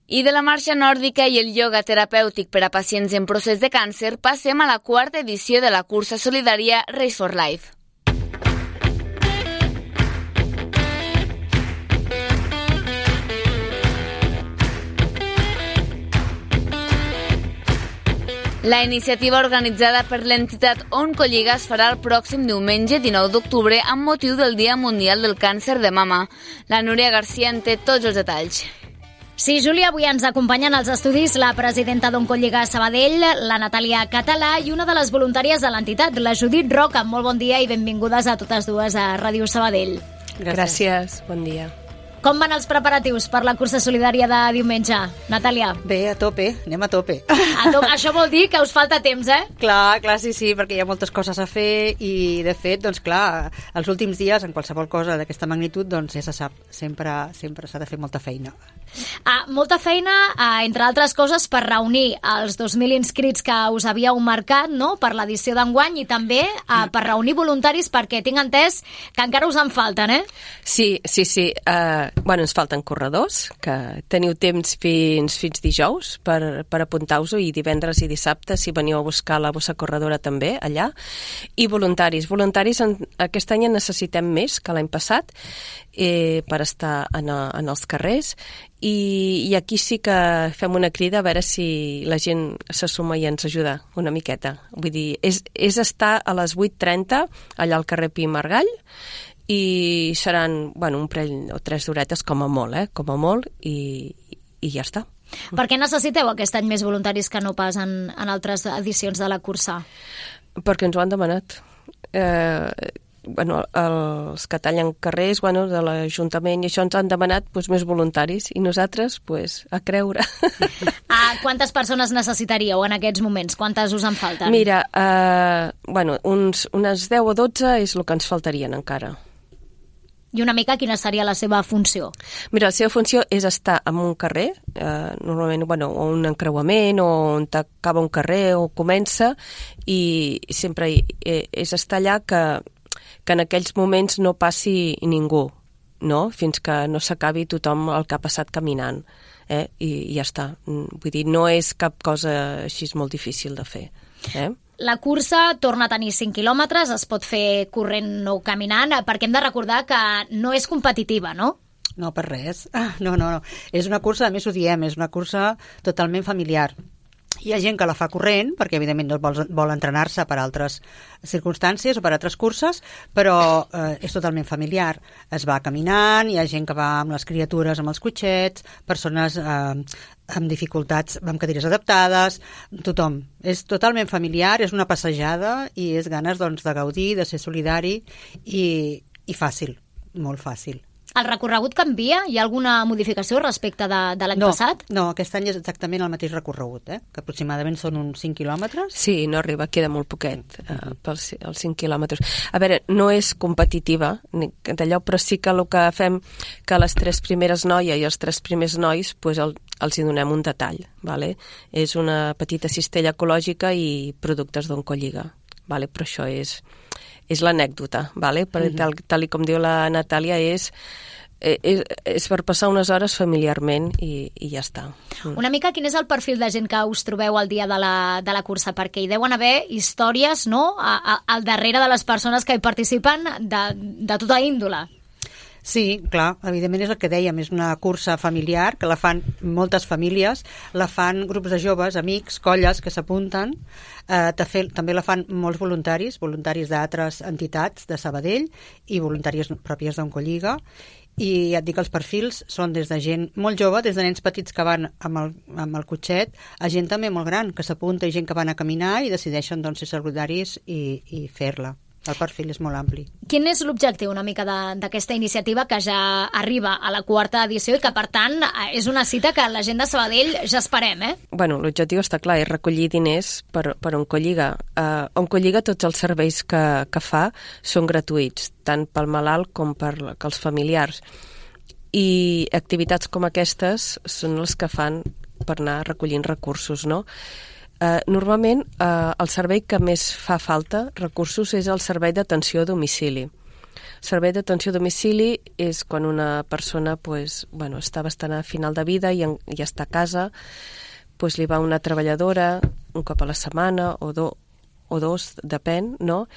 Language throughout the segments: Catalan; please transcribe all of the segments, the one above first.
I de la marxa nòrdica i el ioga terapèutic per a pacients en procés de càncer passem a la quarta edició de la cursa solidària Race for Life. La iniciativa organitzada per l'entitat Oncolliga es farà el pròxim diumenge 19 d'octubre amb motiu del Dia Mundial del Càncer de Mama. La Núria Garcia en té tots els detalls. Sí, Júlia, avui ens acompanyen als estudis la presidenta d'Oncolliga Sabadell, la Natàlia Català, i una de les voluntàries de l'entitat, la Judit Roca. Molt bon dia i benvingudes a totes dues a Ràdio Sabadell. Gràcies, bon dia. Com van els preparatius per la cursa solidària de diumenge, Natàlia? Bé, a tope, anem a tope. Això vol dir que us falta temps, eh? Clar, sí, perquè hi ha moltes coses a fer i, de fet, doncs clar, els últims dies, en qualsevol cosa d'aquesta magnitud, doncs ja se sap, sempre s'ha de fer molta feina. Molta feina, entre altres coses, per reunir els 2.000 inscrits que us havíeu marcat, no?, per l'edició d'enguany, i també per reunir voluntaris, perquè tinc entès que encara us en falten, eh? Sí. Ens falten corredors, que teniu temps fins dijous per apuntar-vos, i divendres i dissabte, si veniu a buscar la bossa corredora també, allà. I voluntaris. Voluntaris aquest any en necessitem més que l'any passat per estar en els carrers, i aquí sí que fem una crida a veure si la gent se suma i ens ajuda una miqueta. Vull dir, és estar a les 8:30 allà al carrer Pi i Margall, i seran un parell o 3 d'horetes com a molt, i ja està. Per què necessiteu aquest any més voluntaris que no pas en altres edicions de la cursa? Perquè ens ho han demanat. Els que tallen carrers de l'Ajuntament i això ens han demanat més voluntaris, i nosaltres a creure. Quantes persones necessitaríeu en aquests moments? Quantes us en falten? Mira, unes 10 o 12 és el que ens faltarien encara. I una mica quina seria la seva funció? Mira, la seva funció és estar en un carrer, normalment un encreuament, o on acaba un carrer o comença, i sempre és estar allà que en aquells moments no passi ningú, no? Fins que no s'acabi tothom el que ha passat caminant, i ja està. Vull dir, no és cap cosa així molt difícil de fer. La cursa torna a tenir 5 quilòmetres, es pot fer corrent o caminant, perquè hem de recordar que no és competitiva, no? No, per res. No. És una cursa, a més ho diem, és una cursa totalment familiar. Hi ha gent que la fa corrent, perquè evidentment vol entrenar-se per altres circumstàncies o per altres curses, però és totalment familiar. Es va caminant, hi ha gent que va amb les criatures, amb els cotxets, persones amb dificultats, amb cadires adaptades, tothom. És totalment familiar, és una passejada i és ganes de gaudir, de ser solidari i fàcil, molt fàcil. El recorregut canvia? Hi ha alguna modificació respecte de l'any passat? No, aquest any és exactament el mateix recorregut, que aproximadament són uns 5 quilòmetres. Sí, no arriba, queda molt poquet pels 5 quilòmetres. A veure, no és competitiva d'allò, però sí que el que fem que les 3 primeres noies i els 3 primers nois els hi donem un detall, vale? És una petita cistella ecològica i productes d'Oncolliga, vale? Però això és l'anècdota, vale? Tal com diu la Natàlia, és per passar unes hores familiarment i ja està. Una mica quin és el perfil de gent que us trobeu al dia de la cursa? Perquè hi deuen haver històries, no?, al darrere de les persones que hi participen de tota índole. Sí, clar, evidentment és el que dèiem, és una cursa familiar que la fan moltes famílies, la fan grups de joves, amics, colles que s'apunten, també la fan molts voluntaris d'altres entitats de Sabadell i voluntàries pròpies d'Oncolliga, i ja et dic, els perfils són des de gent molt jove, des de nens petits que van amb el cotxet, a gent també molt gran que s'apunta, i gent que van a caminar i decideixen ser solidaris i fer-la. El perfil és molt ampli. Quin és l'objectiu una mica d'aquesta iniciativa que ja arriba a la 4ª edició i que, per tant, és una cita que la gent de Sabadell ja esperem, L'objectiu està clar, és recollir diners per Oncolliga. Oncolliga, tots els serveis que fa són gratuïts, tant pel malalt com per els familiars. I activitats com aquestes són les que fan per anar recollint recursos, no? Normalment el servei que més fa falta recursos és el servei d'atenció a domicili, Servei d'atenció a domicili és quan una persona està bastant a final de vida i està a casa, li va una treballadora un cop a la setmana o dos, depèn, no?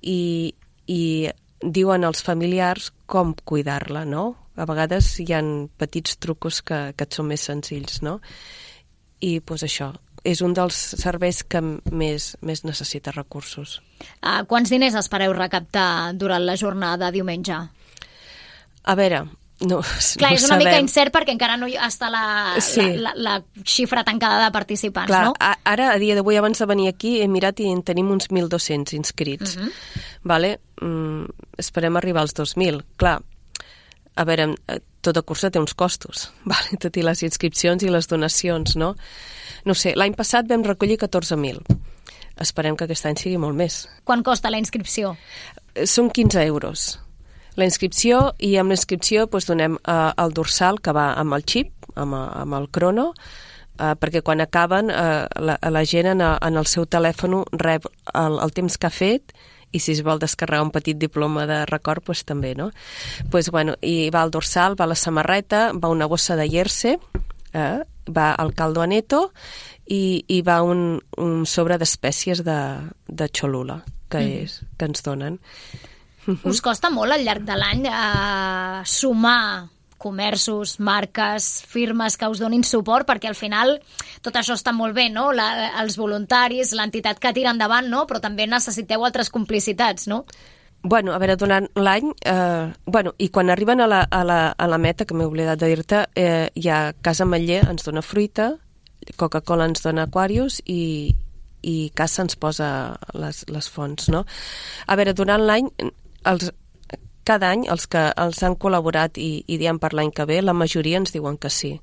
I diuen als familiars com cuidar-la, no? A vegades hi ha petits trucos que et són més senzills, no? I això, és un dels serveis que més necessita recursos. Quants diners espereu recaptar durant la jornada de diumenge? A veure, no clar, és una mica incert perquè encara no està la xifra tancada de participants, clar, no? Ara, a dia d'avui, abans de venir aquí, he mirat i en tenim uns 1.200 inscrits. Vale? Esperem arribar als 2.000. Clar, a veure, tota cursa té uns costos, vale? Tot i les inscripcions i les donacions, no? No sé, l'any passat vam recollir 14.000. Esperem que aquest any sigui molt més. Quan costa la inscripció? Són 15 euros. La inscripció, i amb l'inscripció donem el dorsal que va amb el xip, amb el crono, perquè quan acaben la gent en el seu telèfon rep el temps que ha fet i si es vol descarregar un petit diploma de record, també, no? I va el dorsal, va la samarreta, va una bossa de Jersey, va el caldo aneto i va un sobre d'espècies de Cholula que ens donen. Us costa molt al llarg de l'any sumar comerços, marques, firmes que us donin suport, perquè al final tot això està molt bé, no? Els voluntaris, l'entitat que tira endavant, no? Però també necessiteu altres complicitats, no? A veure, durant l'any, i quan arriben a la meta, que m'he oblidat de dir-te, hi ha Casa Ametller, ens dona fruita, Coca-Cola ens dona Aquarius i Casa ens posa les fonts, no? A veure, durant l'any, cada any els que els han col·laborat i diem per l'any que ve, la majoria ens diuen que sí.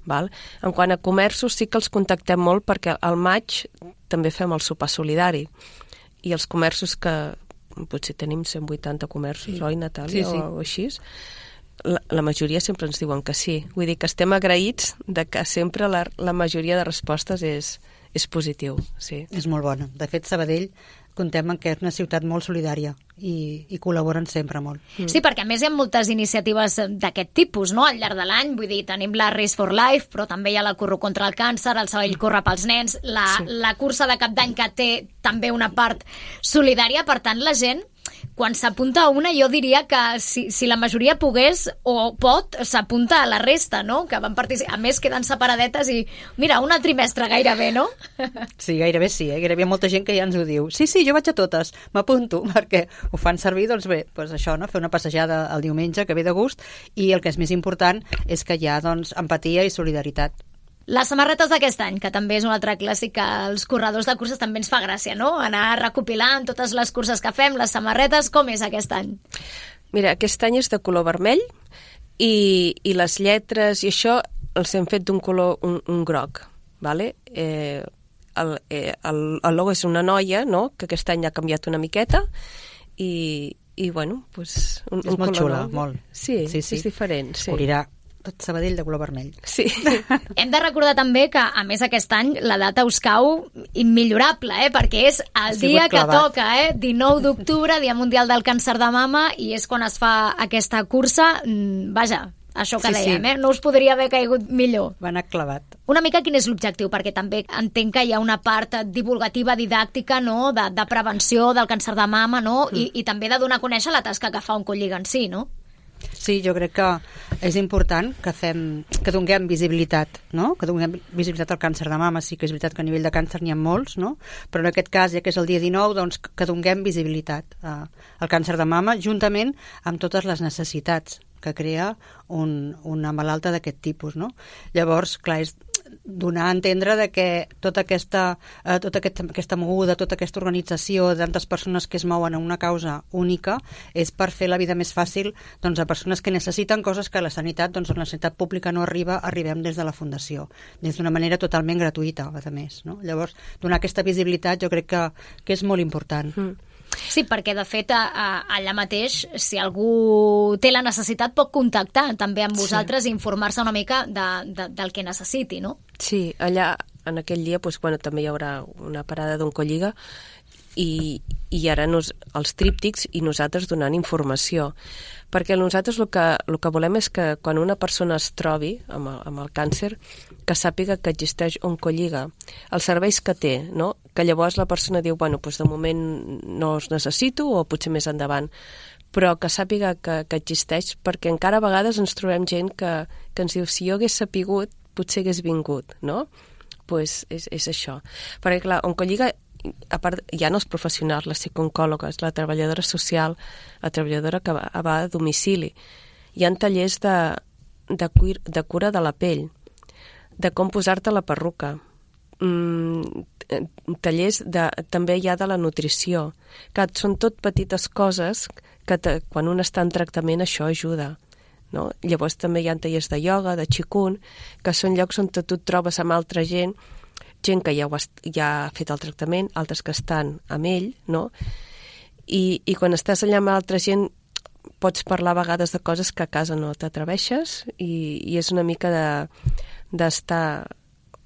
Val? En quant a comerços, sí que els contactem molt perquè al maig també fem el sopar solidari i els comerços que potser tenim 180 comerços, oi, Natàlia? Sí. O així. La majoria sempre ens diuen que sí. Vull dir que estem agraïts de que sempre la majoria de respostes és positiu. Sí. És molt bona. De fet, Sabadell contem que és una ciutat molt solidària i col·laboren sempre molt. Sí, perquè a més hi ha moltes iniciatives d'aquest tipus, no?, al llarg de l'any. Vull dir, tenim la Race for Life, però també hi ha la Corro contra el Càncer, el Sabadell Corre pels Nens, la cursa de Cap d'Any que té també una part solidària. Per tant, la gent, quan s'apunta a una, jo diria que si la majoria pogués o pot, s'apunta a la resta, no?, que van participar. A més, queden separadetes i, mira, un trimestre gairebé, no? Sí, gairebé sí, gairebé molta gent que ja ens ho diu. Sí, jo vaig a totes, m'apunto, perquè ho fan servir, doncs bé, això, no?, fer una passejada el diumenge, que ve de gust, i el que és més important és que hi ha, doncs, empatia i solidaritat. Les samarretes d'aquest any, que també és un altre clàssic que els corredors de curses també ens fa gràcia, no?, anar recopilant totes les curses que fem, les samarretes. Com és aquest any? Mira, aquest any és de color vermell i les lletres i això els hem fet d'un color un groc, vale? El logo és una noia, no?, que aquest any ha canviat una miqueta i bueno, doncs un és molt xula, molt. Sí, és diferent. Sí. Cobrirà tot Sabadell de color vermell. Sí. Hem de recordar també que, a més, aquest any la data us cau immillorable, perquè és el dia que toca, 19 d'octubre, Dia Mundial del Càncer de Mama, i és quan es fa aquesta cursa. Vaja, això que dèiem, no us podria haver caigut millor. Va anar clavat. Una mica quin és l'objectiu? Perquè també entenc que hi ha una part divulgativa, didàctica, no?, de prevenció del càncer de mama, no?, i també de donar a conèixer la tasca que fa Oncolliga en si, no? Sí, jo crec que és important que donem visibilitat, no?, que donem visibilitat al càncer de mama. Sí que és veritat que a nivell de càncer n'hi ha molts, no?, però en aquest cas, ja que és el dia 19, doncs que donem visibilitat al càncer de mama, juntament amb totes les necessitats que crea una malalta d'aquest tipus, no? Llavors, clar, és donar a entendre de que tota aquesta moguda, tota aquesta organització de tantes persones que es mouen en una causa única és per fer la vida més fàcil, doncs, a persones que necessiten coses que la sanitat, doncs, la sanitat pública no arribem des de la Fundació, des d'una manera totalment gratuïta, a més, no? Llavors, donar aquesta visibilitat jo crec que és molt important. Sí, perquè de fet allà mateix, si algú té la necessitat, pot contactar també amb vosaltres i informar-se una mica del que necessiti, no? Sí, allà en aquell dia també hi haurà una parada d'Oncolliga i ara els tríptics i nosaltres donant informació. Perquè nosaltres el que volem és que quan una persona es trobi amb el càncer, que sàpiga que existeix Oncolliga, els serveis que té, no? Que llavors la persona diu, bueno, doncs de moment no els necessito o potser més endavant, però que sàpiga que existeix, perquè encara a vegades ens trobem gent que ens diu, si jo hagués sapigut, potser hagués vingut, no? Doncs és això. Perquè clar, Oncolliga, a part, hi ha els professionals, les psicooncòlogues, la treballadora social, la treballadora que va a domicili. Hi ha tallers de cura de la pell, de com posar-te la perruca, tallers també hi ha de la nutrició, que són tot petites coses que quan un està en tractament això ajuda. No? Llavors també hi ha tallers de ioga, de qigong, que són llocs on tu et trobes amb altra gent que ja ha fet el tractament, altres que estan amb ell, no? I quan estàs allà amb altra gent pots parlar a vegades de coses que a casa no t'atreveixes i és una mica d'estar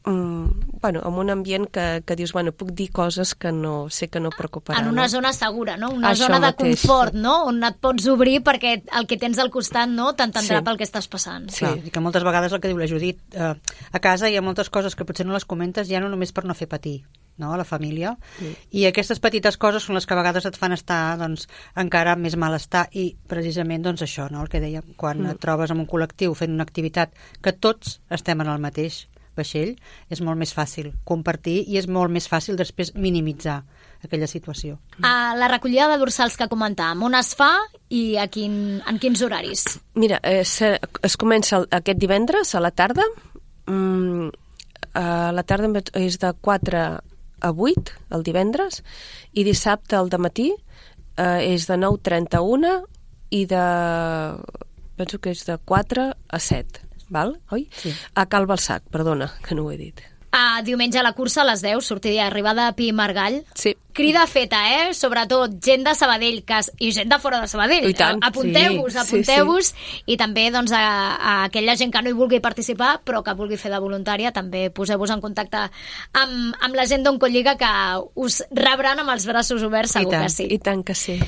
en un ambient que dius, puc dir coses que no sé que no preocuparan. En una zona segura, no? Una zona de confort, no? On et pots obrir perquè el que tens al costat no t'entendrà pel que estàs passant. Sí, i que moltes vegades el que diu la Judit, a casa hi ha moltes coses que potser no les comentes ja no només per no fer patir, no? A la família, i aquestes petites coses són les que a vegades et fan estar encara amb més malestar i precisament això, no? El que dèiem, quan et trobes en un col·lectiu fent una activitat que tots estem en el mateix vaixell, és molt més fàcil compartir i és molt més fàcil després minimitzar aquella situació. La recollida de dorsals que comentàvem, on es fa i en quins horaris? Mira, es comença aquest divendres a la tarda. A la tarda és de 4 a 8 el divendres i dissabte al dematí és de 9:30 a 1 i penso que és de 4 a 7. Val? Oi? Sí. A Cal Balsac, perdona, que no ho he dit. Diumenge a la cursa a les 10, sortida i arribada a Pi Margall. Sí. Crida feta, sobretot gent de Sabadell i gent de fora de Sabadell. I tant. Apunteu-vos. I també a aquella gent que no hi vulgui participar però que vulgui fer de voluntària, també poseu-vos en contacte amb la gent d'Oncolliga que us rebran amb els braços oberts, segur que sí. I tant que sí.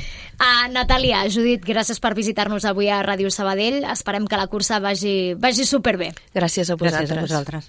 Natàlia, Judit, gràcies per visitar-nos avui a Ràdio Sabadell. Esperem que la cursa vagi superbé. Gràcies a vosaltres. Gràcies a vosaltres.